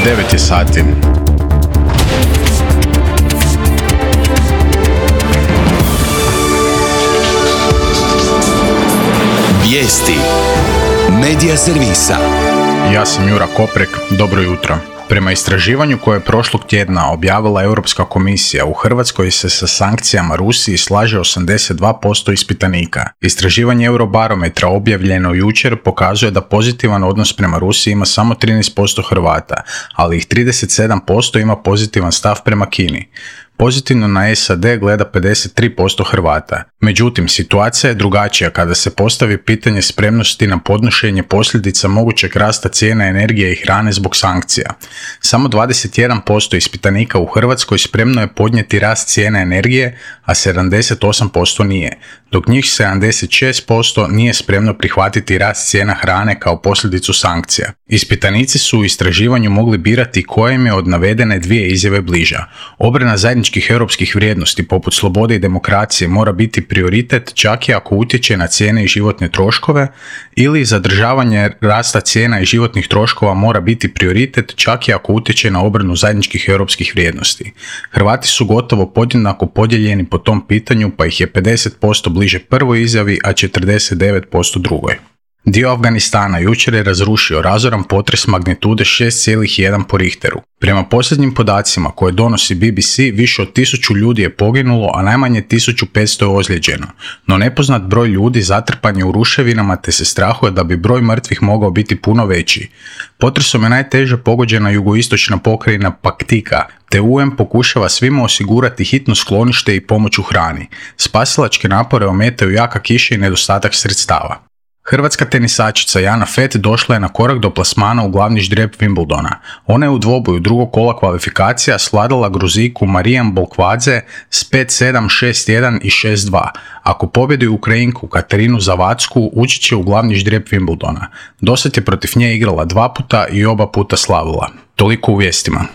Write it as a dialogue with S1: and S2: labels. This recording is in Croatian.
S1: 9 je sati.
S2: Vijesti Medija servisa.
S1: Ja sam Jura Koprek, dobro jutro. Prema istraživanju koje je prošlog tjedna objavila Europska komisija, u Hrvatskoj se sa sankcijama Rusiji slaže 82% ispitanika. Istraživanje Eurobarometra objavljeno jučer pokazuje da pozitivan odnos prema Rusiji ima samo 13% Hrvata, ali ih 37% ima pozitivan stav prema Kini. Pozitivno na SAD gleda 53% Hrvata. Međutim, situacija je drugačija kada se postavi pitanje spremnosti na podnošenje posljedica mogućeg rasta cijena energije i hrane zbog sankcija. Samo 21% ispitanika u Hrvatskoj spremno je podnijeti rast cijene energije, a 78% nije, dok njih 76% nije spremno prihvatiti rast cijena hrane kao posljedicu sankcija. Ispitanici su u istraživanju mogli birati koja im je od navedene dvije izjave bliža. Obrana zajedničkih europskih vrijednosti poput slobode i demokracije mora biti prioritet čak i ako utječe na cijene i životne troškove, ili zadržavanje rasta cijena i životnih troškova mora biti prioritet čak i ako utječe na obranu zajedničkih europskih vrijednosti. Hrvati su gotovo podjednako podijeljeni po tom pitanju, pa ih je 50% bliže prvoj izjavi, a 49% drugoj. Dio Afganistana jučer je razrušio razoran potres magnitude 6,1 po Richteru. Prema posljednjim podacima koje donosi BBC, više od 1000 ljudi je poginulo, a najmanje 1500 je ozlijeđeno. No nepoznat broj ljudi zatrpan je u ruševinama, te se strahuje da bi broj mrtvih mogao biti puno veći. Potresom je najteže pogođena jugoistočna pokrajina Paktika, te UN pokušava svima osigurati hitno sklonište i pomoć u hrani. Spasilačke napore ometaju jaka kiša i nedostatak sredstava. Hrvatska tenisačica Jana Fett došla je na korak do plasmana u glavni ždrijeb Wimbledona. Ona je u dvoboju drugog kola kvalifikacija svladala Gruziku Marijan Bolkvadze s 5-7, 6-1 i 6-2. Ako pobjedi Ukrajinku Katarinu Zavacku, ući će u glavni ždrijeb Wimbledona. Dosad je protiv nje igrala 2 puta i oba puta slavila. Toliko u vijestima.